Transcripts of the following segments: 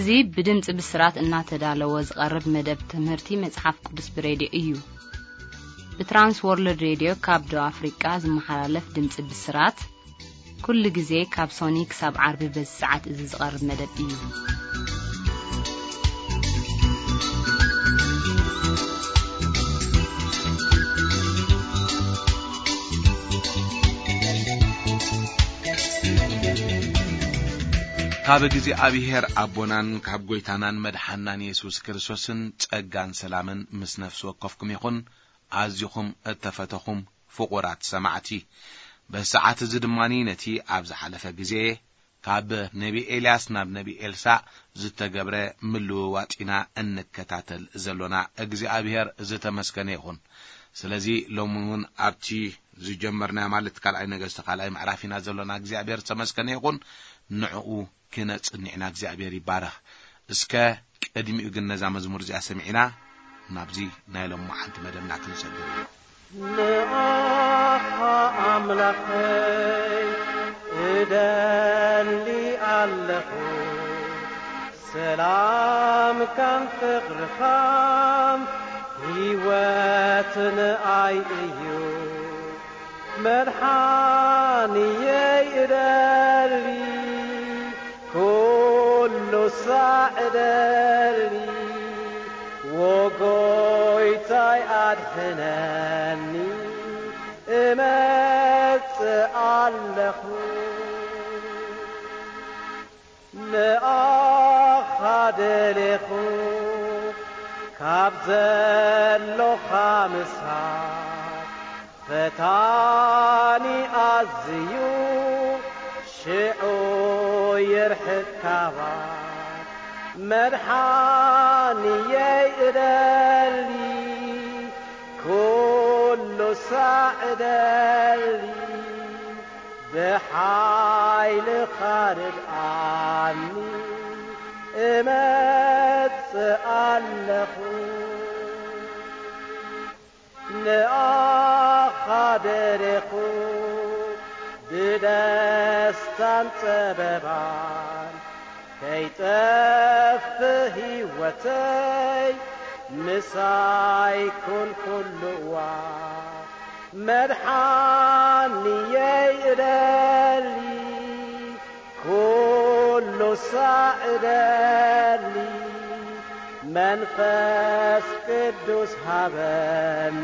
እዚ ብድምጺ ብስራት እናተዳለወ ዝቐርብ መደብ ትምህርቲ መጽሓፍ ቅዱስ ብሬድዮ እዩ። ብትራንስ ወርልድ ሬድዮ ካብ ደቡብ ኣፍሪቃ ዝመሓላለፍ ድምጺ ብስራት፣ ኩሉ ግዜ ካብ ሶኒ ክሳብ ዓርቢ በዚ ሰዓት እዚ ዝቐርብ መደብ እዩ። ካብ እግዚኣብሔር ኣቦናን ካብ ጐይታናን መድሓናን የሱስ ክርስቶስን ጸጋን ሰላምን ምስ ነፍሲ ወከፍኩም ይኹን። ኣዚኹም እተፈተኹም ፍቑራት ሰማዕቲ፣ በዚ ሰዓት እዚ ድማ ነቲ ኣብ ዝሓለፈ ግዜ ካብ ነቢ ኤልያስ ናብ ነቢ ኤልሳዕ ዝተገብረ ምልውዋጥ ኢና እንከታተል ዘሎና። እግዚኣብሔር ዝተመስገነ ይኹን። ስለዚ ሎሚ እውን ኣብቲ ዝጀመርናዮ፣ ማለት ካልኣይ ነገስቲ ካልኣይ ምዕራፍ ኢና ዘሎና። እግዚኣብሔር ዝተመስገነ ይኹን። ንዕኡ ክነጽንዕ ኢና። እግዚኣብሔር ይባረኽ። እስከ ቅድሚኡ ግን ነዛ መዝሙር እዚኣ ሰሚዕና ናብዚ ናይ ሎሚ መዓልቲ መደብና ክንሰግር ኢና። ንኣኻ ኣምላኸይ እደሊ ኣለኹ፣ ሰላምካን ፍቕርኻን ህይወት ንኣይ እዩ። መድሓንየይ እደሊ፣ ኩሉ ሳዕ እደሊ፣ ወጎይታይ ኣድሕነኒ፣ እመጽእ ኣለኹ። ንኣኻ ደሌኹ፣ ካብ ዘሎኻ ምሳሕ፣ ፈታኒ ኣዝዩ ሽዑ ይርሕቅ ካባይ። መድሓንየይ እደሊ፣ ኩሉ ሳዕ እደሊ፣ ብሓይልኻ ርድኣኒ፣ እመጽእ ኣለኹ። ንኣኻ ደሌኹ፣ ብደስታን ጸበባን ከይጠፍእ ህይወተይ፣ ምሳይ ኩን ኩሉ እዋን። መድሓንየይ እደሊ፣ ኩሉ ሳዕ እደሊ፣ መንፈስ ቅዱስ ሃበኒ፣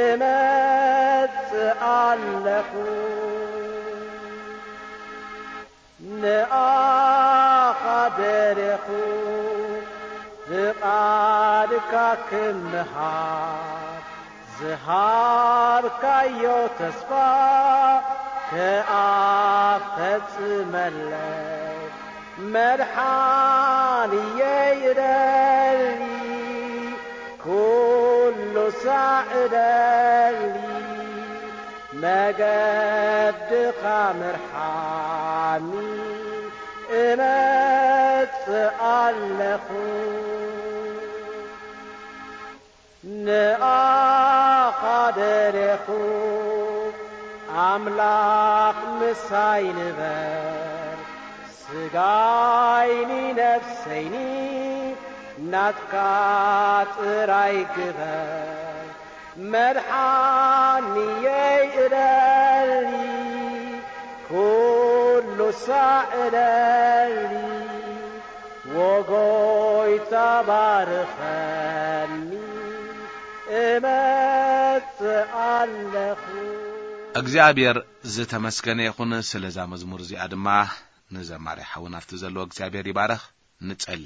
እመጽእ ኣለኹ። ንኣኻ ደሌኹ፣ ፍቓድካ ክምሃር፣ ዝሃብካዮ ተስፋ ከኣ ፈጽመለይ። መድሓንየይ እደሊ፣ ኩሉ ሳዕ እደሊ፣ መገድኻ ምርሓኒ፣ እመጽእ ኣለኹ። ንኣኻ ደሌኹ፣ ኣምላኽ ምሳይ ንበር፣ ስጋይኒ ነፍሰይኒ ናትካ ጥራይ ግበር። መድሓንየይ እደሊ፣ ኩሉ ሳዕ እደሊ፣ ወጎይታ ባርኸኒ፣ እመጽእ ኣለኹ። እግዚኣብሔር ዝተመስገነ ይኹን። ስለዛ መዝሙር እዚኣ ድማ ንዘማሪ ሓውና ኣብቲ ዘለዎ እግዚኣብሔር ይባረኽ። ንጸሊ።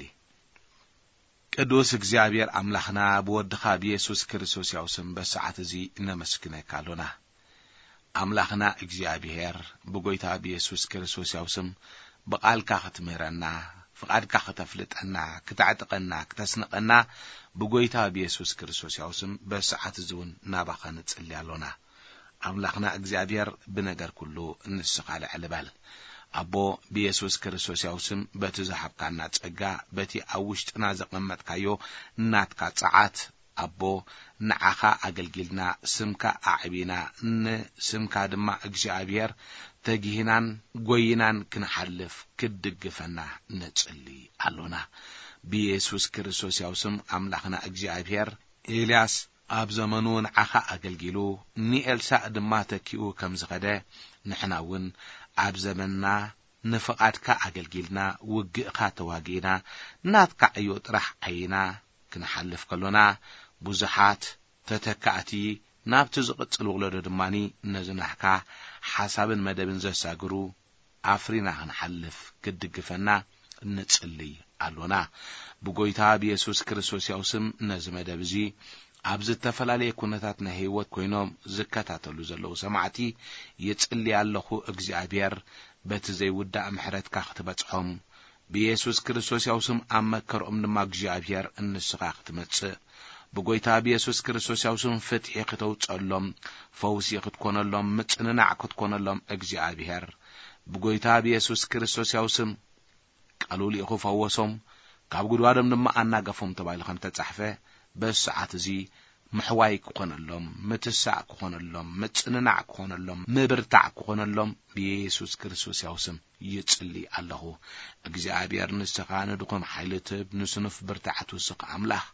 ቅዱስ እግዚኣብሔር ኣምላኽና፣ ብወድኻ ብየሱስ ክርስቶስ ያው ስም በሰዓት እዚ እነመስግነካ ኣሎና። ኣምላኽና እግዚኣብሔር፣ ብጎይታ ብየሱስ ክርስቶስ ያው ስም ብቓልካ ክትምህረና፣ ፍቓድካ ክተፍልጠና፣ ክተዕጥቀና፣ ክተስንቐና፣ ብጎይታ ብየሱስ ክርስቶስ ያው ስም በሰዓት እዚ እውን ናባኻ ንጽሊ ኣሎና። ኣምላኽና እግዚኣብሔር፣ ብነገር ኩሉ ንስኻ ልዕል በል። ኣቦ፣ ብየሱስ ክርስቶስ ያው ስም በቲ ዝሃብካና ጸጋ፣ በቲ ኣብ ውሽጥና ዘቐመጥካዮ ናትካ ጸዓት ኣቦ፣ ንዓኻ ኣገልጊልና፣ ስምካ ኣዕቢና፣ ንስምካ ድማ እግዚኣብሔር ተጊህናን ጎይናን ክንሓልፍ ክትድግፈና ንጽሊ ኣሎና። ብየሱስ ክርስቶስ ያው ስም ኣምላኽና እግዚኣብሔር፣ ኤልያስ ኣብ ዘመኑ ንዓኻ ኣገልጊሉ፣ ንኤልሳእ ድማ ተኪኡ ከም ዝኸደ፣ ንሕና እውን ኣብ ዘመንና ንፍቓድካ ኣገልጊልና፣ ውግእካ ተዋጊእና፣ ናትካ ዕዮ ጥራሕ ዓይና ክንሓልፍ ከሎና፣ ብዙሓት ተተካእቲ ናብቲ ዝቕጽል ወለዶ ድማኒ ነዚ ናህካ ሓሳብን መደብን ዘሳግሩ ኣፍሪና ክንሓልፍ ክትድግፈና ንጽልይ ኣሎና። ብጎይታ ብየሱስ ክርስቶስ ያው ስም ነዚ መደብ እዚ ኣብ ዝተፈላለየ ኩነታት ናይ ህይወት ኮይኖም ዝከታተሉ ዘለዉ ሰማዕቲ ይጽሊ ኣለኹ። እግዚኣብሔር በቲ ዘይውዳእ ምሕረትካ ክትበጽሖም፣ ብየሱስ ክርስቶስ ያው ስም ኣብ መከርኦም ድማ እግዚኣብሔር ንስኻ ክትመጽእ፣ ብጎይታ ብየሱስ ክርስቶስ ያው ስም ፍትሒ ክተውጸሎም፣ ፈውሲ ክትኮነሎም፣ ምጽንናዕ ክትኮነሎም እግዚኣብሔር ብጎይታ ብየሱስ ክርስቶስ ያው ስም ቃሉ ልኢኹ ፈወሶም፣ ካብ ጉድጓዶም ድማ ኣናገፎም ተባሂሉ ከም ተጻሕፈ፣ በዚ ሰዓት እዚ ምሕዋይ ክኾነሎም፣ ምትሳእ ክኾነሎም፣ ምጽንናዕ ክኾነሎም፣ ምብርታዕ ክኾነሎም ብየሱስ ክርስቶስ ያው ስም ይጽሊ ኣለኹ። እግዚኣብሔር ንስኻ ንድኹም ሓይሊ ትህብ፣ ንስኑፍ ብርታዕቱ ስኽ ኣምላኽ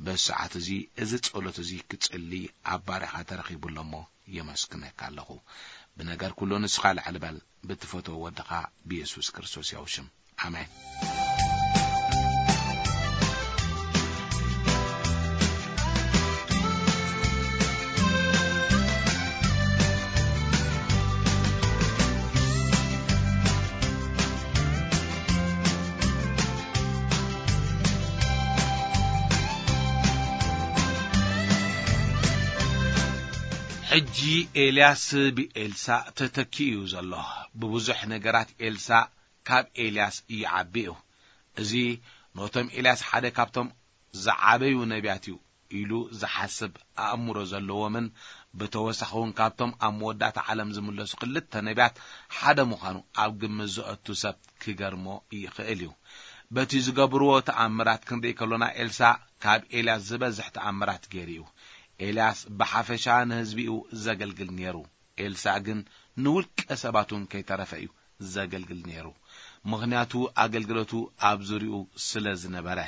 በዚ ሰዓት እዚ፣ እዚ ጸሎት እዚ ክጽሊ ኣብ ባርያኻ ተረኺቡ ኣሎ እሞ የመስግነካ ኣለኹ። ብነገር ኩሉ ንስኻ ልዕል በል፣ ብትፈትዎ ወድኻ ብየሱስ ክርስቶስ ያው ሽም። ኣሜን። ሕጂ ኤልያስ ብኤልሳእ ተተኪኡ እዩ ዘሎ። ብብዙሕ ነገራት ኤልሳእ ካብ ኤልያስ ይዓቢ እዩ። እዚ ነቶም ኤልያስ ሓደ ካብቶም ዝዓበዩ ነቢያት እዩ ኢሉ ዝሓስብ ኣእምሮ ዘለዎምን ብተወሳኺ እውን ካብቶም ኣብ መወዳእታ ዓለም ዝምለሱ ክልተ ነቢያት ሓደ ምዃኑ ኣብ ግምት ዘእቱ ሰብ ክገርሞ ይኽእል እዩ። በቲ ዝገብርዎ ተኣምራት ክንርኢ ከሎና ኤልሳእ ካብ ኤልያስ ዝበዝሕ ተኣምራት ገይሩ እዩ። ኤልያስ ብሓፈሻ ንህዝቢኡ ዘገልግል ነይሩ። ኤልሳእ ግን ንውልቀ ሰባት እውን ከይተረፈ እዩ ዘገልግል ነይሩ። ምኽንያቱ ኣገልግሎቱ ኣብ ዙርያኡ ስለ ዝነበረ።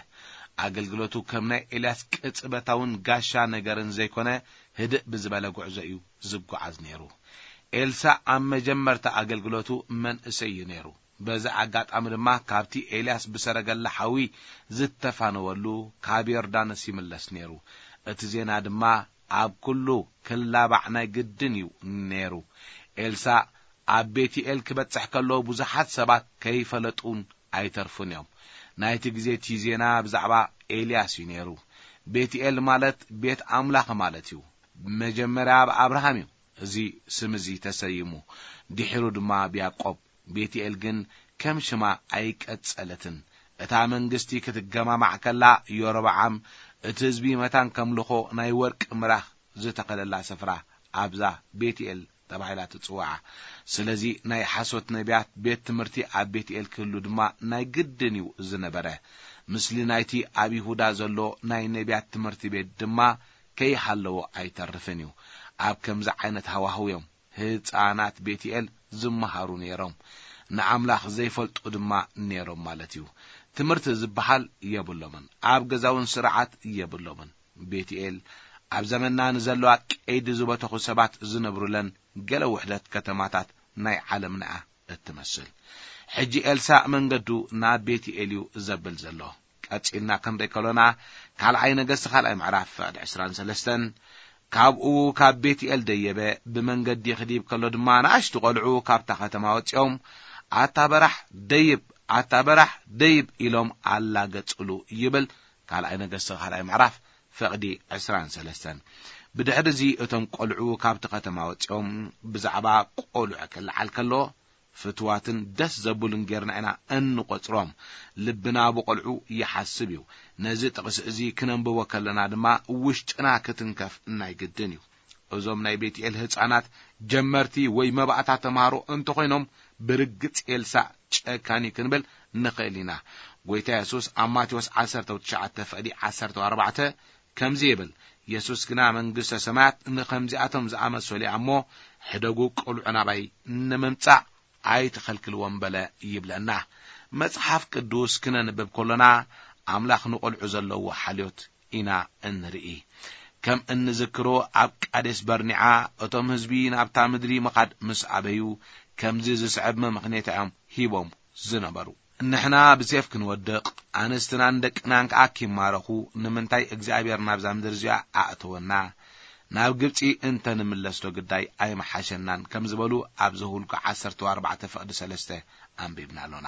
ኣገልግሎቱ ከም ናይ ኤልያስ ቅጽበታውን ጋሻ ነገርን ዘይኮነ ህድእ ብዝበለ ጉዕዞ እዩ ዝጓዓዝ ነይሩ። ኤልሳእ ኣብ መጀመርታ ኣገልግሎቱ መንእሰይ እዩ ነይሩ። በዚ ኣጋጣሚ ድማ ካብቲ ኤልያስ ብሰረገላ ሓዊ ዝተፋነወሉ ካብ ዮርዳኖስ ይምለስ ነይሩ። እቲ ዜና ድማ ኣብ ኩሉ ክላባዕ ናይ ግድን እዩ ነይሩ። ኤልሳእ ኣብ ቤትኤል ክበጽሕ ከሎ ብዙሓት ሰባት ከይፈለጡን ኣይተርፉን እዮም። ናይቲ ግዜ እቲ ዜና ብዛዕባ ኤልያስ እዩ ነይሩ። ቤትኤል ማለት ቤት ኣምላኽ ማለት እዩ። መጀመርያ ኣብ ኣብርሃም እዩ እዚ ስም እዚ ተሰይሙ፣ ድሒሩ ድማ ኣብ ያዕቆብ። ቤትኤል ግን ከም ሽማ ኣይቀጸለትን። እታ መንግስቲ ክትገማማዕ ከላ ዮሮብዓም እቲ ህዝቢ መታን ከምልኾ ናይ ወርቂ ምራኽ ዝተኸለላ ስፍራ ኣብዛ ቤትኤል ተባሂላ ትጽዋዓ። ስለዚ ናይ ሓሶት ነቢያት ቤት ትምህርቲ ኣብ ቤትኤል ክህሉ ድማ ናይ ግድን እዩ ዝነበረ። ምስሊ ናይቲ ኣብ ይሁዳ ዘሎ ናይ ነቢያት ትምህርቲ ቤት ድማ ከይሃለዎ ኣይተርፍን እዩ። ኣብ ከምዚ ዓይነት ሃዋህው እዮም ህጻናት ቤትኤል ዝመሃሩ ነይሮም። ንኣምላኽ ዘይፈልጡ ድማ ነይሮም ማለት እዩ። ትምህርቲ ዝበሃል የብሎምን። ኣብ ገዛውን ስርዓት የብሎምን። ቤትኤል ኣብ ዘመንና ንዘለዋ ቀይዲ ዝበተኹ ሰባት ዝነብሩለን ገለ ውሕደት ከተማታት ናይ ዓለምና እያ እትመስል። ሕጂ ኤልሳእ መንገዱ ናብ ቤትኤል እዩ ዘብል ዘሎ። ቀጺልና ክንርኢ ከሎና፣ ካልኣይ ነገስቲ ካልኣይ ምዕራፍ ፍቕዲ ዕስራን ሰለስተን፣ ካብኡ ካብ ቤትኤል ደየበ፣ ብመንገዲ ክድይብ ከሎ ድማ ንኣሽቱ ቆልዑ ካብታ ከተማ ወጺኦም፣ "ኣታ በራሕ ደይብ፣ ኣታ በራሕ ደይብ" ኢሎም ኣላገጽሉ ይብል። ካልኣይ ነገስቲ ካልኣይ ምዕራፍ ፍቕዲ ዕስራን ሰለስተን። ብድሕሪ እዚ እቶም ቆልዑ ካብቲ ከተማ ወጺኦም ብዛዕባ ቆልዑ ክለዓል ከሎ፣ ፍትዋትን ደስ ዘብሉን ጌርና ኢና እንቆጽሮም። ልብና ብቆልዑ ይሓስብ እዩ። ነዚ ጥቕሲ እዚ ክነንብቦ ከለና ድማ ውሽጥና ክትንከፍ ናይ ግድን እዩ። እዞም ናይ ቤትኤል ህጻናት ጀመርቲ ወይ መባእታ ተምሃሮ እንተኾይኖም፣ ብርግጽ ኤልሳእ ጨካን እዩ ክንብል ንኽእል ኢና። ጎይታ የሱስ ኣብ ማቴዎስ ዓሰርተ ትሽዓተ ፍቕዲ ዓሰርተ ኣርባዕተ ከምዚ ይብል፣ የሱስ ግና መንግስተ ሰማያት ንኸምዚኣቶም ዝኣመሰሉ እያ እሞ፣ ሕደጉ ቆልዑ ናባይ ንምምጻእ ኣይትኸልክልዎም በለ ይብለና። መጽሓፍ ቅዱስ ክነንብብ ከሎና ኣምላኽ ንቆልዑ ዘለዎ ሓልዮት ኢና እንርኢ። ከም እንዝክሮ ኣብ ቃዴስ በርኒዓ እቶም ህዝቢ ናብታ ምድሪ ምኻድ ምስ ኣበዩ ከምዚ ዝስዕብ መምኽኔታ እዮም ሂቦም ዝነበሩ። ንሕና ብሴፍ ክንወድቕ፣ ኣንስትናን ደቅናን ከኣ ኪማረኹ፣ ንምንታይ እግዚኣብሔር ናብዛ ምድሪ እዚኣ ኣእተወና? ናብ ግብጺ እንተ ንምለስዶ ግዳይ ኣይመሓሸናን ከም ዝበሉ ኣብ ዘሁልቁ ዓሰርተ ኣርባዕተ ፍቕዲ ሰለስተ ኣንቢብና ኣሎና።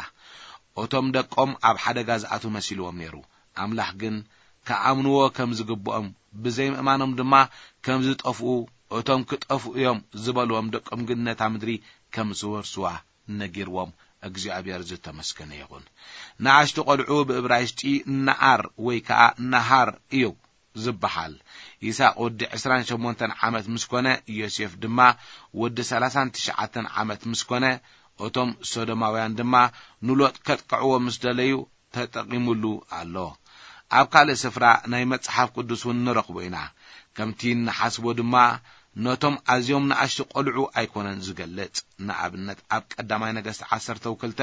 እቶም ደቆም ኣብ ሓደጋ ዝኣትዉ መሲልዎም ነይሩ። ኣምላኽ ግን ክኣምንዎ ከም ዝግብኦም፣ ብዘይምእማኖም ድማ ከም ዝጠፍኡ፣ እቶም ክጠፍኡ እዮም ዝበልዎም ደቆም ግን ነታ ምድሪ ከም ዝወርስዋ ነጊርዎም። እግዚኣብሔር ዝተመስገነ ይኹን። ንኣሽቱ ቆልዑ ብእብራይስጢ ነኣር ወይ ከኣ ነሃር እዩ ዝበሃል። ይስሐቅ ወዲ ዕስራን ሸሞንተን ዓመት ምስ ኮነ፣ ዮሴፍ ድማ ወዲ ሰላሳን ትሽዓተን ዓመት ምስ ኮነ፣ እቶም ሶዶማውያን ድማ ንሎጥ ከጥቅዕዎ ምስ ደለዩ ተጠቂሙሉ ኣሎ። ኣብ ካልእ ስፍራ ናይ መጽሓፍ ቅዱስ እውን ንረኽቦ ኢና። ከምቲ እንሓስቦ ድማ ነቶም ኣዝዮም ንኣሽቱ ቆልዑ ኣይኮነን ዝገልጽ። ንኣብነት ኣብ ቀዳማይ ነገስቲ ዓሰርተ ክልተ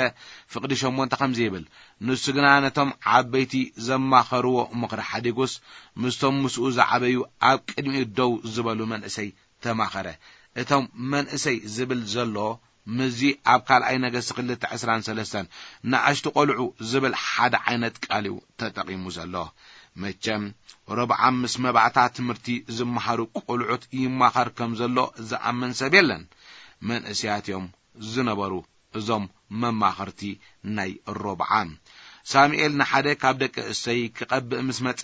ፍቕዲ ሸሞንተ ከምዚ ይብል፣ ንሱ ግና ነቶም ዓበይቲ ዘማኸርዎ ምኽሪ ሓዲጉስ ምስቶም ምስኡ ዝዓበዩ ኣብ ቅድሚኡ ደው ዝበሉ መንእሰይ ተማኸረ። እቶም መንእሰይ ዝብል ዘሎ ምስዚ ኣብ ካልኣይ ነገስቲ ክልተ ዕስራን ሰለስተን ንኣሽቱ ቆልዑ ዝብል ሓደ ዓይነት ቃል እዩ ተጠቒሙ ዘሎ። መቸም ሮብዓም ምስ መባእታ ትምህርቲ ዝመሃሩ ቆልዑት ይማኸር ከም ዘሎ ዝኣምን ሰብ የለን። መንእሰያት እዮም ዝነበሩ እዞም መማኸርቲ ናይ ሮብዓም። ሳሙኤል ንሓደ ካብ ደቂ እሰይ ክቐብእ ምስ መጸ፣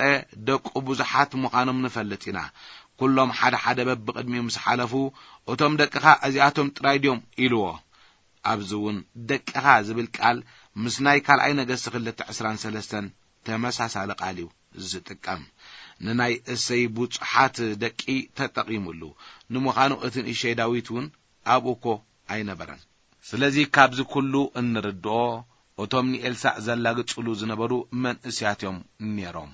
ደቁ ብዙሓት ምዃኖም ንፈልጥ ኢና። ኩሎም ሓደ ሓደ በብቕድሚኡ ምስ ሓለፉ፣ እቶም ደቅኻ እዚኣቶም ጥራይ ድዮም ኢልዎ። ኣብዚ እውን ደቅኻ ዝብል ቃል ምስ ናይ ካልኣይ ነገስቲ ክልተ ዕስራን ሰለስተን ተመሳሳሊ ቃል እዩ ዝጥቀም። ንናይ እሰይ ብዙሓት ደቂ ተጠቒሙሉ። ንምዃኑ እቲ ንእሸይ ዳዊት እውን ኣብኡ እኮ ኣይነበረን። ስለዚ ካብዚ ኩሉ እንርድኦ፣ እቶም ንኤልሳዕ ዘላግጽሉ ዝነበሩ መንእስያት እዮም ነይሮም፣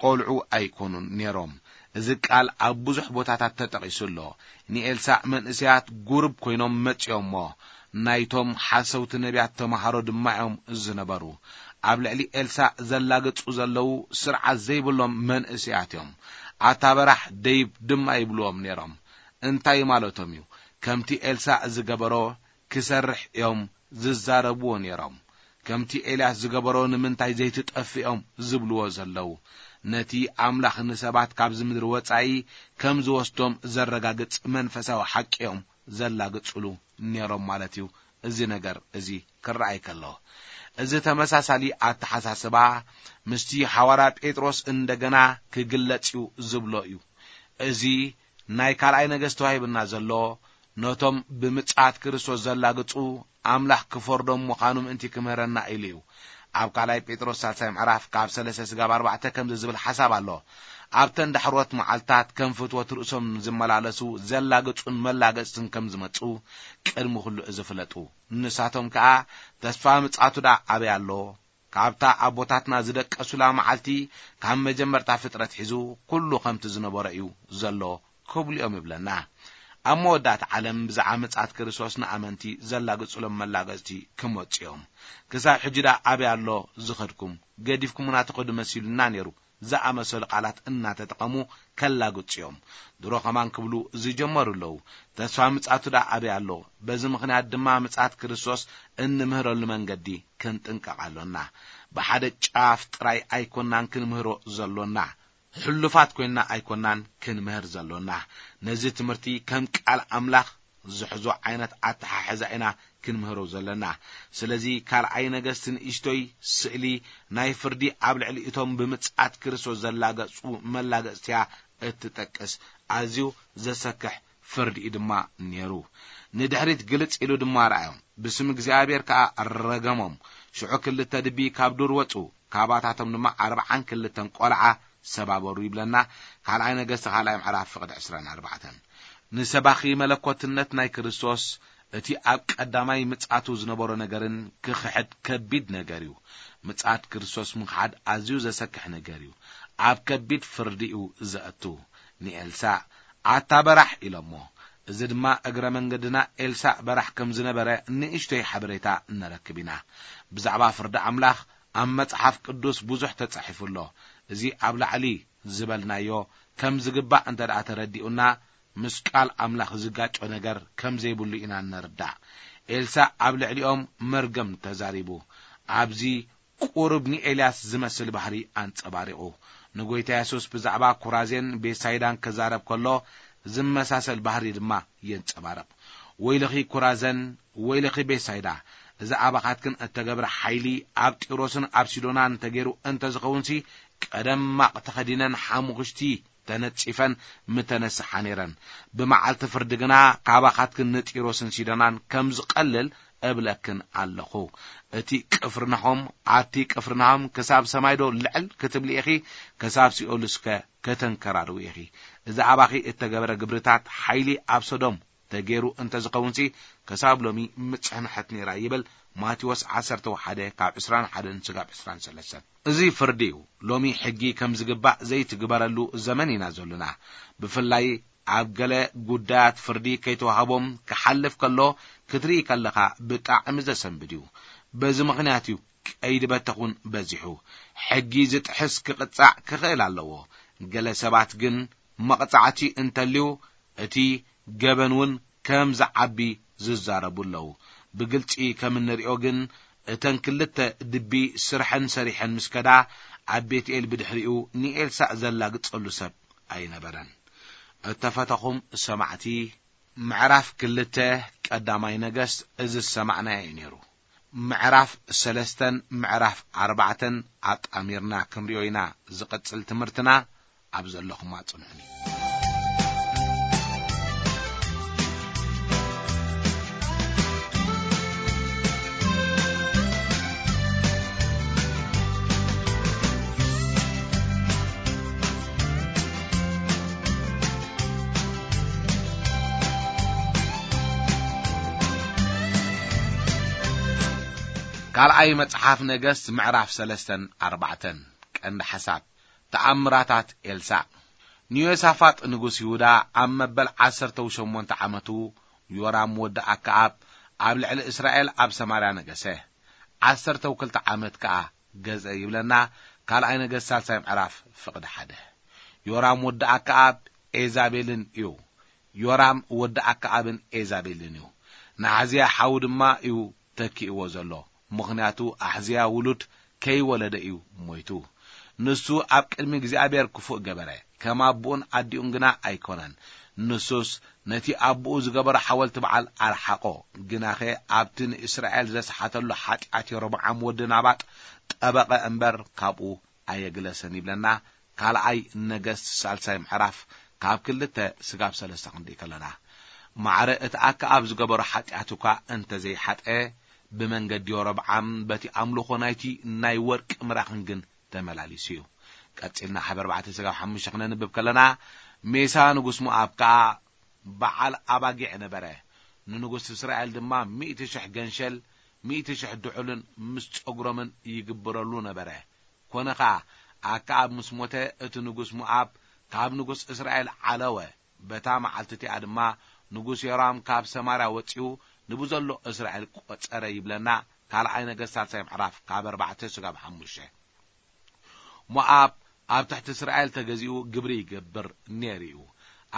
ቆልዑ ኣይኮኑን ነይሮም። እዚ ቃል ኣብ ብዙሕ ቦታታት ተጠቒሱ ኣሎ። ንኤልሳዕ መንእስያት ጉሩብ ኮይኖም መጺኦሞ፣ ናይቶም ሓሰውቲ ነቢያት ተማሃሮ ድማ እዮም ዝነበሩ። ኣብ ልዕሊ ኤልሳዕ ዘላግጹ ዘለዉ ስርዓት ዘይብሎም መንእስያት እዮም። ኣታ በራሕ ደይብ ድማ ይብልዎም ነይሮም። እንታይ ማለቶም እዩ? ከምቲ ኤልሳዕ ዝገበሮ ክሰርሕ እዮም ዝዛረብዎ ነይሮም። ከምቲ ኤልያስ ዝገበሮ ንምንታይ ዘይትጠፍእ እዮም ዝብልዎ ዘለዉ። ነቲ ኣምላኽ ንሰባት ካብዚ ምድሪ ወጻኢ ከም ዝወስዶም ዘረጋግጽ መንፈሳዊ ሓቂ እዮም ዘላግጽሉ ነይሮም ማለት እዩ። እዚ ነገር እዚ ክረኣይ ከሎ፣ እዚ ተመሳሳሊ ኣተሓሳስባ ምስቲ ሓዋርያ ጴጥሮስ እንደገና ክግለጽ እዩ ዝብሎ እዩ። እዚ ናይ ካልኣይ ነገስት ተዋሂብና ዘሎ ነቶም ብምጽኣት ክርስቶስ ዘላግጹ ኣምላኽ ክፈርዶም ምዃኑ ምእንቲ ክምህረና ኢሉ እዩ። ኣብ ካልኣይ ጴጥሮስ ሳልሳይ ምዕራፍ ካብ ሰለስተ ስጋብ ኣርባዕተ ከምዚ ዝብል ሓሳብ ኣሎ። ኣብተን ዳሕሮት መዓልታት ከም ፍትወት ርእሶም ዝመላለሱ ዘላግጹን መላገጽትን ከም ዝመጹ ቅድሚ ኩሉ እዚ ፍለጡ። ንሳቶም ከኣ ተስፋ ምጽኣቱ ደኣ ኣበይ ኣሎ? ካብታ ኣቦታትና ዝደቀሱላ መዓልቲ፣ ካብ መጀመርታ ፍጥረት ሒዙ ኩሉ ከምቲ ዝነበረ እዩ ዘሎ ክብሉ እዮም ይብለና። ኣብ መወዳእታ ዓለም ብዛዕባ ምጽኣት ክርስቶስ ንኣመንቲ ዘላግጹሎም መላገጽቲ ክመጹ እዮም። ክሳብ ሕጂ ደኣ ኣበይ ኣሎ ዝኸድኩም? ገዲፍኩምና ትኸዱ መሲሉና ነይሩ ዝኣመሰሉ ቃላት እናተጠቐሙ ከላግጹ እዮም። ድሮ ከማን ክብሉ ዝጀመሩ ኣለዉ። ተስፋ ምጽኣቱ ደኣ ኣበይ ኣሎ? በዚ ምኽንያት ድማ ምጽኣት ክርስቶስ እንምህረሉ መንገዲ ክንጥንቀቕ ኣሎና። ብሓደ ጫፍ ጥራይ ኣይኮናን ክንምህሮ ዘሎና። ሕሉፋት ኮይንና ኣይኮናን ክንምህር ዘሎና። ነዚ ትምህርቲ ከም ቃል ኣምላኽ ዝሕዞ ዓይነት ኣተሓሕዛ ኢና ክንምህሮ ዘለና። ስለዚ ካልኣይ ነገስት ንእሽቶይ ስእሊ ናይ ፍርዲ ኣብ ልዕሊ እቶም ብምጽኣት ክርስቶስ ዘላገጹ መላገጽትያ እትጠቅስ ኣዝዩ ዘሰክሕ ፍርዲ እዩ ድማ ነይሩ። ንድሕሪት ግልጽ ኢሉ ድማ ረኣዮም፣ ብስም እግዚኣብሔር ከኣ ረገሞም። ሽዑ ክልተ ድቢ ካብ ዱር ወጹ፣ ካባታቶም ድማ ኣርብዓን ክልተን ቆልዓ ሰባበሩ ይብለና። ካልኣይ ነገስት ካልኣይ ምዕራፍ ፍቕዲ ዕስራን ኣርባዕተን። ንሰባኺ መለኮትነት ናይ ክርስቶስ እቲ ኣብ ቀዳማይ ምጽኣቱ ዝነበሮ ነገርን ክኽሕድ ከቢድ ነገር እዩ። ምጽኣት ክርስቶስ ምኽሓድ ኣዝዩ ዘሰክሕ ነገር እዩ። ኣብ ከቢድ ፍርዲ እዩ ዘእቱ። ንኤልሳዕ፣ "ኣታ በራሕ" ኢሎሞ። እዚ ድማ እግረ መንገድና ኤልሳዕ በራሕ ከም ዝነበረ ንእሽቶይ ሓበሬታ ንረክብ ኢና። ብዛዕባ ፍርዲ ኣምላኽ ኣብ መጽሓፍ ቅዱስ ብዙሕ ተጻሒፉ ኣሎ። እዚ ኣብ ላዕሊ ዝበልናዮ ከም ዝግባእ እንተ ደኣ ተረዲኡና፣ ምስ ቃል ኣምላኽ ዝጋጮ ነገር ከም ዘይብሉ ኢና እንርዳእ። ኤልሳዕ ኣብ ልዕሊኦም መርገም ተዛሪቡ። ኣብዚ ቁሩብ ንኤልያስ ዝመስል ባህሪ ኣንጸባሪቑ። ንጎይታ የሱስ ብዛዕባ ኩራዜን ቤሳይዳን ክዛረብ ከሎ ዝመሳሰል ባህሪ ድማ የንጸባርቕ። "ወይልኺ ኩራዘን፣ ወይልኺ ቤሳይዳ፣ እዛ ኣባኻትክን እተገብረ ሓይሊ ኣብ ጢሮስን ኣብ ሲዶናን እንተገይሩ እንተ ዝኸውንሲ፣ ቀደም ማቕ ተኸዲነን ሓሙኽሽቲ ተነጺፈን ምተነስሓ ነይረን። ብመዓልቲ ፍርዲ ግና ካባኻትክን ንጢሮስን ሲዶናን ከም ዝቐልል እብለክን ኣለኹ። እቲ ቅፍርናሆም፣ ኣቲ ቅፍርናሆም፣ ክሳብ ሰማይ ዶ ልዕል ክትብሊ ኢኺ? ክሳብ ሲኦልስከ ከተንከራርዊ ኢኺ? እዚ ኣባኺ እተገበረ ግብርታት ሓይሊ ኣብ ሰዶም ተገይሩ እንተ ዝኸውንሲ፣ ክሳብ ሎሚ ምጽንሐት ነይራ" ይብል ማቴዎስ ዓሰርተ ሓደ ካብ ዕስራን ሓደን ስጋብ ዕስራን ሰለስተን። እዚ ፍርዲ እዩ። ሎሚ ሕጊ ከም ዝግባእ ዘይትግበረሉ ዘመን ኢና ዘሎና። ብፍላይ ኣብ ገለ ጉዳያት ፍርዲ ከይተዋህቦም ክሓልፍ ከሎ ክትርኢ ከለኻ ብጣዕሚ ዘሰንብድ እዩ። በዚ ምኽንያት እዩ ቀይዲ በተኹን በዚሑ። ሕጊ ዝጥሕስ ክቕጻዕ ክኽእል ኣለዎ። ገለ ሰባት ግን መቕጻዕቲ እንተልዩ እቲ ገበን እውን ከም ዝዓቢ ዝዛረቡ ኣለዉ። ብግልጺ ከም እንሪኦ ግን፣ እተን ክልተ ድቢ ስርሐን ሰሪሐን ምስ ከዳ፣ ኣብ ቤትኤል ብድሕሪኡ ንኤልሳዕ ዘላግጸሉ ሰብ ኣይነበረን። እተፈተኹም ሰማዕቲ፣ ምዕራፍ ክልተ ቀዳማይ ነገስት እዚ ዝሰማዕናዮ እዩ ነይሩ። ምዕራፍ ሰለስተን ምዕራፍ ኣርባዕተን ኣጣሚርና ክንሪኦ ኢና። ዝቕጽል ትምህርትና ኣብ ዘለኹም ኣጽንሑኒ። ካልኣይ መጽሓፍ ነገስት ምዕራፍ ሰለስተን ኣርባዕተን። ቀንዲ ሓሳብ፣ ተኣምራታት ኤልሳዕ። ንዮሳፋጥ ንጉስ ይሁዳ ኣብ መበል ዓሰርተው ሸሞንተ ዓመቱ፣ ዮራም ወዲ ኣከኣብ ኣብ ልዕሊ እስራኤል ኣብ ሰማርያ ነገሰ። ዓሰርተው ክልተ ዓመት ከኣ ገዝአ ይብለና ካልኣይ ነገስት ሳልሳይ ምዕራፍ ፍቕዲ ሓደ። ዮራም ወዲ ኣከኣብ ኤዛቤልን እዩ። ዮራም ወዲ ኣከኣብን ኤዛቤልን እዩ። ንኣሕዝያ ሓዉ ድማ እዩ ተኪእዎ ዘሎ። ምኽንያቱ ኣሕዝያ ውሉድ ከይወለደ እዩ ሞይቱ። ንሱ ኣብ ቅድሚ እግዚኣብሔር ክፉእ ገበረ፣ ከም ኣቦኡን ኣዲኡን ግና ኣይኮነን። ንሱስ ነቲ ኣቦኡ ዝገበሮ ሓወልቲ በዓል ኣርሓቖ። ግናኸ ኣብቲ ንእስራኤል ዘስሓተሉ ሓጢኣት የሮብዓም ወዲ ናባጥ ጠበቐ እምበር ካብኡ ኣየግለሰን ይብለና። ካልኣይ ነገስት ሳልሳይ ምዕራፍ ካብ ክልተ ስጋብ ሰለስተ ክንርኢ ከለና፣ ማዕረ እቲ ኣከኣብ ዝገበሮ ሓጢኣት እኳ እንተዘይሓጠ፣ ብመንገዲ የሮብዓም በቲ ኣምልኾ ናይቲ ናይ ወርቂ ምራኽን ግን ተመላሊሱ እዩ። ቀጺልና ሓብ ኣርባዕተ ስጋብ ሓሙሽተ ክነንብብ ከለና፣ ሜሳ ንጉስ ሞኣብ ከኣ በዓል ኣባጊዕ ነበረ። ንንጉስ እስራኤል ድማ ሚእቲ ሽሕ ገንሸል፣ ሚእቲ ሽሕ ድዑልን ምስ ጸጉሮምን ይግብረሉ ነበረ። ኮነ ኸኣ፣ ኣከኣብ ምስ ሞተ፣ እቲ ንጉስ ሞኣብ ካብ ንጉስ እስራኤል ዓለወ። በታ መዓልቲ እቲኣ ድማ ንጉስ ዮራም ካብ ሰማርያ ወጺኡ ንብዘሎ እስራኤል ቈጸረ ይብለና። ካልኣይ ነገስት ሳልሳይ ምዕራፍ ካብ ኣርባዕተ ስጋብ ሓሙሽተ። ሞኣብ ኣብ ትሕቲ እስራኤል ተገዚኡ ግብሪ ይገብር ነይሩ እዩ።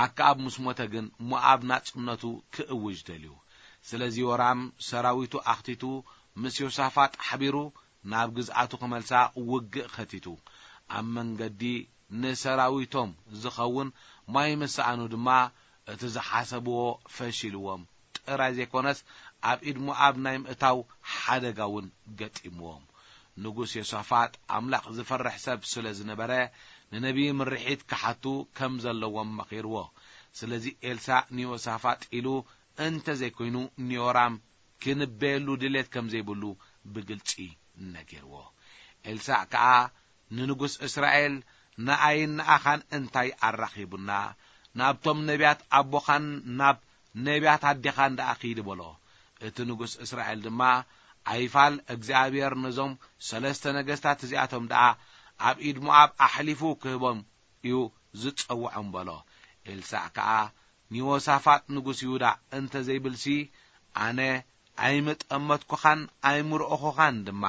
ኣከኣብ ምስ ሞተ ግን ሞኣብ ናጽነቱ ክእውጅ ደልዩ። ስለዚ ዮራም ሰራዊቱ ኣኽቲቱ ምስ ዮሳፋጥ ሓቢሩ ናብ ግዝኣቱ ክመልሳ ውግእ ኸቲቱ። ኣብ መንገዲ ንሰራዊቶም ዝኸውን ማይ ምስ ሰኣኑ ድማ እቲ ዝሓሰብዎ ፈሺልዎም ጥራይ ዘይኮነስ ኣብ ኢድ ሞኣብ ናይ ምእታው ሓደጋ እውን ገጢምዎም። ንጉስ ዮሳፋጥ ኣምላኽ ዝፈርሕ ሰብ ስለ ዝነበረ ንነቢይ ምርሒት ክሓቱ ከም ዘለዎም መኺርዎ። ስለዚ ኤልሳዕ ንዮሳፋጥ ኢሉ እንተ ዘይኮይኑ ንዮራም ክንበየሉ ድሌት ከም ዘይብሉ ብግልጺ ነጊርዎ። ኤልሳዕ ከኣ ንንጉስ እስራኤል፣ "ንኣይን ንኣኻን እንታይ ኣራኺቡና? ናብቶም ነቢያት ኣቦኻን ናብ ነቢያት ኣዴኻን ደኣ ኺድ" በሎ። እቲ ንጉስ እስራኤል ድማ፣ "ኣይፋል፣ እግዚኣብሔር ነዞም ሰለስተ ነገስታት እዚኣቶም ደኣ ኣብ ኢድ ሞኣብ ኣሕሊፉ ክህቦም እዩ ዝጸውዖም በሎ። ኤልሳዕ ከኣ፣ ንዮሳፋጥ ንጉስ ይሁዳ እንተ ዘይብልሲ፣ ኣነ ኣይምጠመትኩኻን ኣይምርኦኹኻን ድማ፣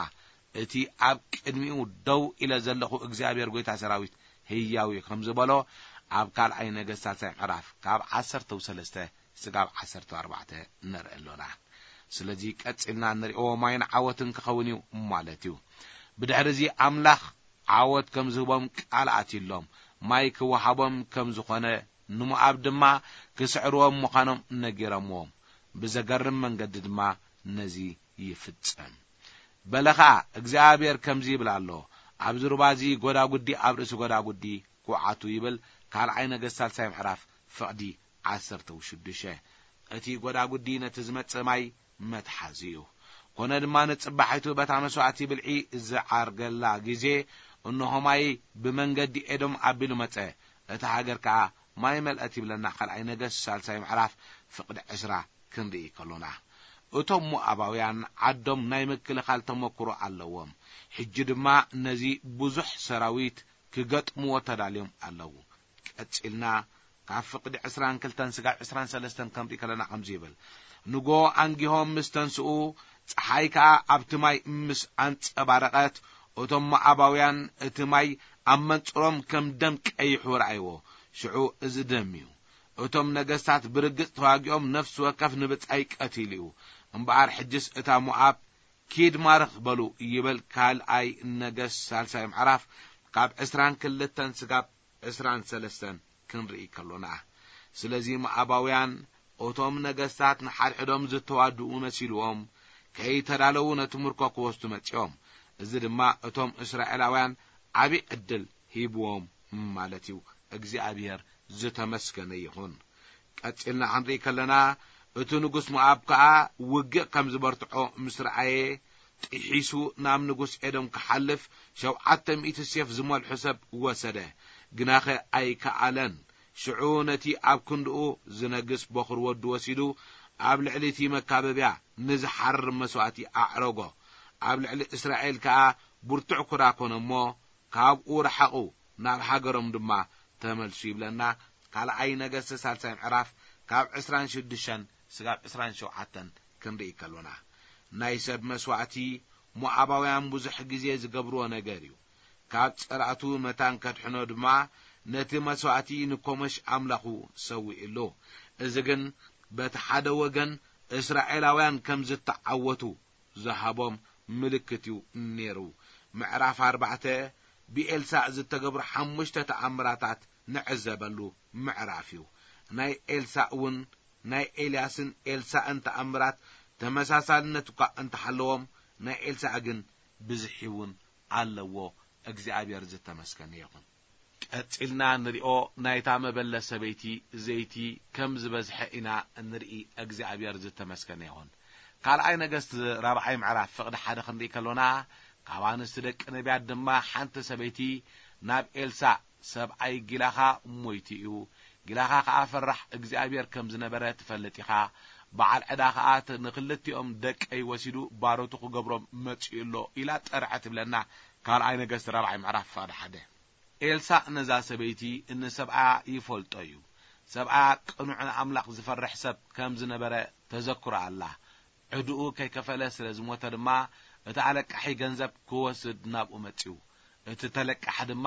እቲ ኣብ ቅድሚኡ ደው ኢለ ዘለኹ እግዚኣብሔር ጐይታ ሰራዊት ህያው እዩ ከም ዝበሎ፣ ኣብ ካልኣይ ነገስት ሳልሳይ ምዕራፍ ካብ ዓሰርተ ሰለስተ ስጋብ ዓሰርተ ኣርባዕተ ንርኢ ኣሎና። ስለዚ ቀጺልና እንሪኦ ማይን ዓወትን ክኸውን እዩ ማለት እዩ። ብድሕሪ እዚ ኣምላኽ ዓወት ከም ዝህቦም ቃል ኣትዩሎም፣ ማይ ክወሃቦም ከም ዝኾነ፣ ንሞኣብ ድማ ክስዕርዎም ምዃኖም ነጊሮምዎም። ብዘገርም መንገዲ ድማ ነዚ ይፍጸም። በለ ኸኣ፣ እግዚኣብሔር ከምዚ ይብል ኣሎ፣ ኣብዚ ሩባ እዚ ጐዳጉዲ ኣብ ርእሲ ጐዳጉዲ ኲዓቱ ይብል፣ ካልኣይ ነገስት ሳልሳይ ምዕራፍ ፍቕዲ ዓሰርተ ሽዱሽተ። እቲ ጐዳጉዲ ነቲ ዝመጽእ ማይ መትሓዚ እዩ። ኮነ ድማ ንጽባሒቱ በታ መስዋእቲ ብልዒ ዝዓርገላ ግዜ፣ እንሆ ማይ ብመንገዲ ኤዶም ኣቢሉ መጸ፣ እታ ሃገር ከኣ ማይ መልአት ይብለና። ካልኣይ ነገስት ሳልሳይ ምዕራፍ ፍቕዲ ዕስራ ክንርኢ ከሎና፣ እቶም ሞኣባውያን ዓዶም ናይ ምክልኻል ተመክሮ ኣለዎም። ሕጂ ድማ ነዚ ብዙሕ ሰራዊት ክገጥምዎ ተዳልዮም ኣለዉ። ቀጺልና ካብ ፍቕዲ ዕስራን ክልተን ስጋብ ዕስራን ሰለስተን ከምርኢ ከለና ከምዚ ይብል፣ ንጎ ኣንጊሆም ምስ ተንስኡ፣ ጸሓይ ከኣ ኣብቲ ማይ ምስ ኣንጸባረቐት፣ እቶም ሞኣባውያን እቲ ማይ ኣብ መንጽሮም ከም ደም ቀይሑ ረኣይዎ። ሽዑ እዚ ደም እዩ። እቶም ነገስታት ብርግጽ ተዋጊኦም ነፍሲ ወከፍ ንብጻይ ቀቲሉ እዩ። እምበኣር ሕጅስ እታ ሞኣብ ኪድ ማርኽ በሉ ይብል ካልኣይ ነገስት ሳልሳይ ምዕራፍ ካብ ዕስራን ክልተን ስጋብ ዕስራን ሰለስተን ክንርኢ ከሎና። ስለዚ ሞኣባውያን እቶም ነገስታት ንሓድሕዶም ዝተዋድኡ መሲልዎም ከይተዳለዉ ነቲ ምርኮ ክወስዱ መጺኦም። እዚ ድማ እቶም እስራኤላውያን ዓቢ ዕድል ሂብዎም ማለት እዩ። እግዚኣብሔር ዝተመስገነ ይኹን። ቀጺልና ክንርኢ ከለና፣ እቲ ንጉስ ሞኣብ ከኣ ውግእ ከም ዝበርትዖ ምስ ረኣየ፣ ጥሒሱ ናብ ንጉስ ኤዶም ክሓልፍ ሸውዓተ ሚእቲ ሴፍ ዝመልሑ ሰብ ወሰደ። ግናኸ ኣይከኣለን። ሽዑ ነቲ ኣብ ክንድኡ ዝነግስ በኹሪ ወዱ ወሲዱ፣ ኣብ ልዕሊ እቲ መካበብያ ንዝሓርር መስዋእቲ ኣዕረጎ። ኣብ ልዕሊ እስራኤል ከኣ ብርቱዕ ኩራ ኮነ እሞ፣ ካብኡ ረሓቑ፣ ናብ ሃገሮም ድማ ተመልሱ ይብለና። ካልኣይ ነገስት ሳልሳይ ምዕራፍ ካብ ዕስራን ሽዱሽተን ስጋብ ዕስራን ሸውዓተን ክንርኢ ከሎና፣ ናይ ሰብ መስዋእቲ ሞኣባውያን ብዙሕ ግዜ ዝገብርዎ ነገር እዩ። ካብ ጸላእቱ መታን ከድሕኖ ድማ ነቲ መስዋእቲ ንኮመሽ ኣምላኹ ሰዊእሉ። እዚ ግን በቲ ሓደ ወገን እስራኤላውያን ከም ዝተዓወቱ ዝሃቦም ምልክት እዩ ነይሩ። ምዕራፍ ኣርባዕተ ብኤልሳዕ ዝተገብሩ ሓሙሽተ ተኣምራታት ንዕዘበሉ ምዕራፍ እዩ። ናይ ኤልሳዕ እውን ናይ ኤልያስን ኤልሳዕን ተኣምራት ተመሳሳልነት እኳ እንተሃለዎም፣ ናይ ኤልሳዕ ግን ብዝሒ እውን ኣለዎ። እግዚኣብሔር ዝተመስገነ ይኹን። ቀጺልና ንሪኦ ናይታ መበለት ሰበይቲ ዘይቲ ከም ዝበዝሐ ኢና እንርኢ። እግዚኣብሔር ዝተመስገነ ይኹን። ካልኣይ ነገስት ራብዓይ ምዕራፍ ፍቕዲ ሓደ ክንርኢ ከሎና፣ ካብ ኣንስቲ ደቂ ነቢያት ድማ ሓንቲ ሰበይቲ ናብ ኤልሳዕ፣ ሰብኣይ ጊላኻ ሞይቱ እዩ፣ ጊላኻ ኸኣ ፈራሕ እግዚኣብሔር ከም ዝነበረ ትፈልጥ ኢኻ። በዓል ዕዳ ኸኣ ት-፣ ንኽልቲኦም ደቀይ ወሲዱ ባሮቱ ክገብሮም መጺኡ ኣሎ ኢላ ጠርዐ ትብለና። ካልኣይ ነገስት ራብዓይ ምዕራፍ ፍቕዲ ሓደ። ኤልሳዕ ነዛ ሰበይቲ ንሰብኣያ ይፈልጦ እዩ። ሰብኣያ ቅኑዕ ንኣምላኽ ዝፈርሕ ሰብ ከም ዝነበረ ተዘክሮ ኣላ። ዕድኡ ከይከፈለ ስለ ዝሞተ ድማ፣ እቲ ኣለቃሒ ገንዘብ ክወስድ ናብኡ መጺኡ። እቲ ተለቃሒ ድማ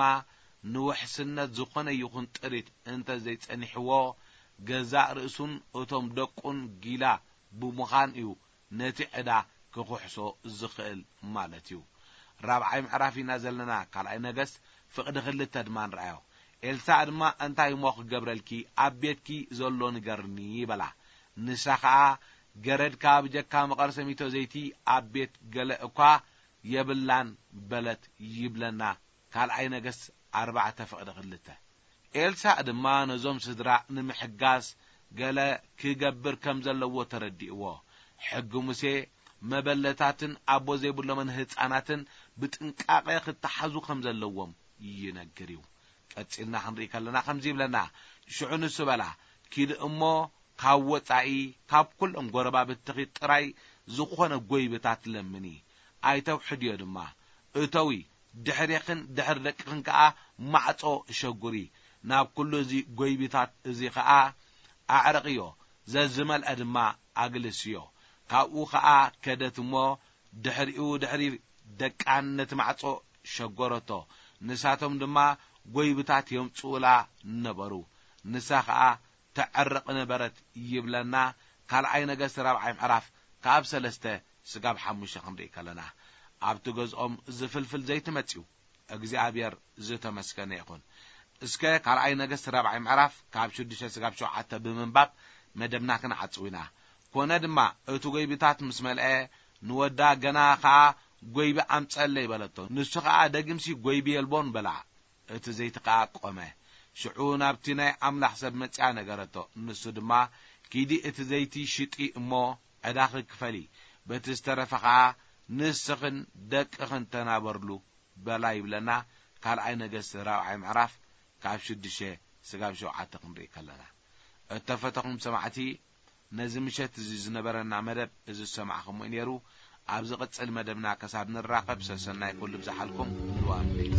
ንውሕስነት ዝኾነ ይኹን ጥሪት እንተ ዘይጸኒሕዎ፣ ገዛእ ርእሱን እቶም ደቁን ጊላ ብምዃን እዩ ነቲ ዕዳ ክኹሕሶ ዝኽእል ማለት እዩ። ራብዓይ ምዕራፍ ኢና ዘለና፣ ካልኣይ ነገስት ፍቕዲ ክልተ ድማ ንርኣዮ። ኤልሳዕ ድማ፣ "እንታይ እሞ ክገብረልኪ? ኣብ ቤትኪ ዘሎ ንገርኒ" በላ። ንሳ ኸኣ፣ "ገረድካ ብጀካ መቐር ሰሚቶ ዘይቲ ኣብ ቤት ገለ እኳ የብላን" በለት ይብለና ካልኣይ ነገስት ኣርባዕተ ፍቕዲ ክልተ። ኤልሳዕ ድማ ነዞም ስድራ ንምሕጋዝ ገለ ክገብር ከም ዘለዎ ተረዲእዎ። ሕጊ ሙሴ መበለታትን ኣቦ ዘይብሎምን ህጻናትን ብጥንቃቐ ክተሓዙ ከም ዘለዎም ይነግር እዩ። ቀጺልና ክንርኢ ከለና ከምዚ ይብለና፣ ሽዑ ንሱ በላ፣ "ኪዲ እሞ ካብ ወጻኢ ካብ ኩሎም ጎረባብትኺ ጥራይ ዝኾነ ጎይብታት ለምኒ፣ ኣይተውሕድዮ ድማ፣ እተዊ፣ ድሕሬኽን ድሕሪ ደቅኽን ከኣ ማዕጾ ሸጉሪ። ናብ ኩሉ እዚ ጐይቢታት እዚ ከኣ ኣዕርቕዮ፣ ዘዝመልአ ድማ ኣግልስዮ። ካብኡ ከኣ ከደት እሞ ድሕሪኡ ድሕሪ ደቃን ነቲ ማዕጾ ሸጎረቶ። ንሳቶም ድማ ጐይብታት የምጽኡላ ነበሩ። ንሳ ኸኣ ተዕርቕ ነበረት ይብለና። ካልኣይ ነገስት ራብዓይ ምዕራፍ ካብ ሰለስተ ስጋብ ሓሙሽተ ክንርኢ ከለና፣ ኣብቲ ገዝኦም ዝፍልፍል ዘይቲ መጺኡ። እግዚኣብሔር ዝተመስገነ ይኹን። እስከ ካልኣይ ነገስት ራብዓይ ምዕራፍ ካብ ሽዱሽተ ስጋብ ሸውዓተ ብምንባብ መደብና ክንዓጽው ኢና። ኮነ ድማ እቲ ጐይብታት ምስ መልአ ንወዳ ገና ኸኣ ጐይቢ ኣምጸለይ በለቶ። ንሱ ኸኣ ደጊምሲ ጐይቢ የልቦን በላ። እቲ ዘይቲ ኸኣ ቆመ። ሽዑ ናብቲ ናይ ኣምላኽ ሰብ መጺኣ ነገረቶ። ንሱ ድማ ኪዲ እቲ ዘይቲ ሽጢ እሞ ዕዳኺ ክፈሊ፣ በቲ ዝተረፈ ኸኣ ንስኽን ደቅኽን ተናበርሉ በላ ይብለና። ካልኣይ ነገስት ራብዓይ ምዕራፍ ካብ ሽዱሽተ ስጋብ ሸውዓተ ክንርኢ ከለና፣ እተፈተኹም ሰማዕቲ፣ ነዚ ምሸት እዚ ዝነበረና መደብ እዚ ዝሰማዕኹምዎ እዩ ነይሩ። ኣብ ዝቕጽል መደብና ከሳብ ንራኸብ ሰሰናይ ኩሉ ብዝሓልኩም። ንዋም ለይቲ።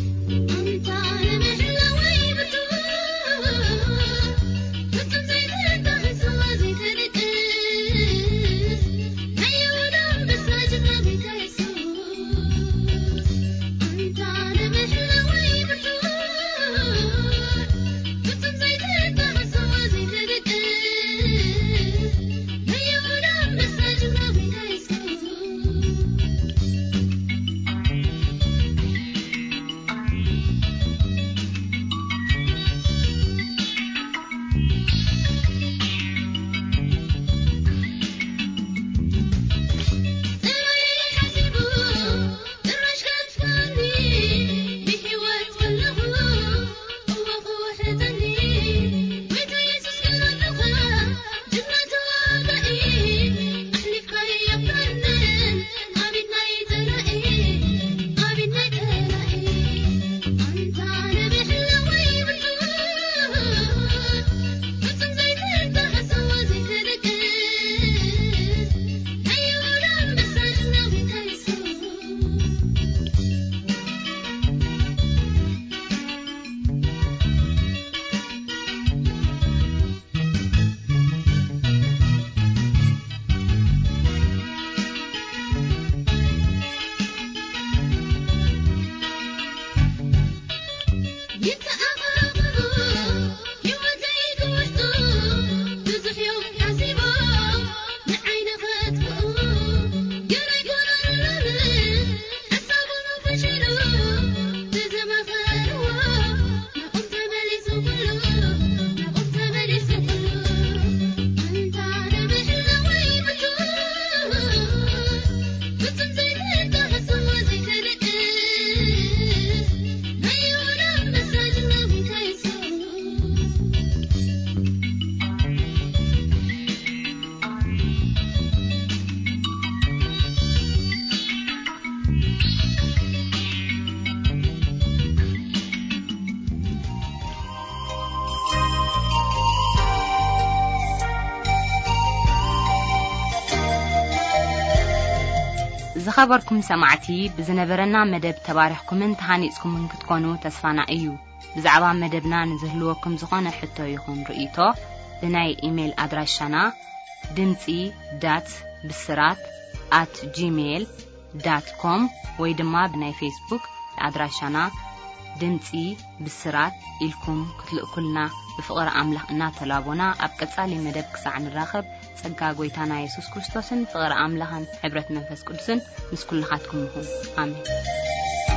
ዝኸበርኩም ሰማዕቲ፣ ብዝነበረና መደብ ተባሪኽኩምን ተሃኒጽኩምን ክትኮኑ ተስፋና እዩ። ብዛዕባ መደብና ንዝህልወኩም ዝኾነ ሕቶ ይኹን ርእይቶ፣ ብናይ ኢሜይል ኣድራሻና ድምጺ ዳት ብስራት ኣት ጂሜይል ዳት ኮም ወይ ድማ ብናይ ፌስቡክ ኣድራሻና ድምጺ ብስራት ኢልኩም ክትልእኩልና ብፍቕሪ ኣምላኽ እናተላቦና፣ ኣብ ቀጻሊ መደብ ክሳዕ ንራኸብ፣ ጸጋ ጐይታና የሱስ ክርስቶስን ፍቕሪ ኣምላኽን ሕብረት መንፈስ ቅዱስን ምስ ኩልኻትኩም ይኹን። ኣሜን።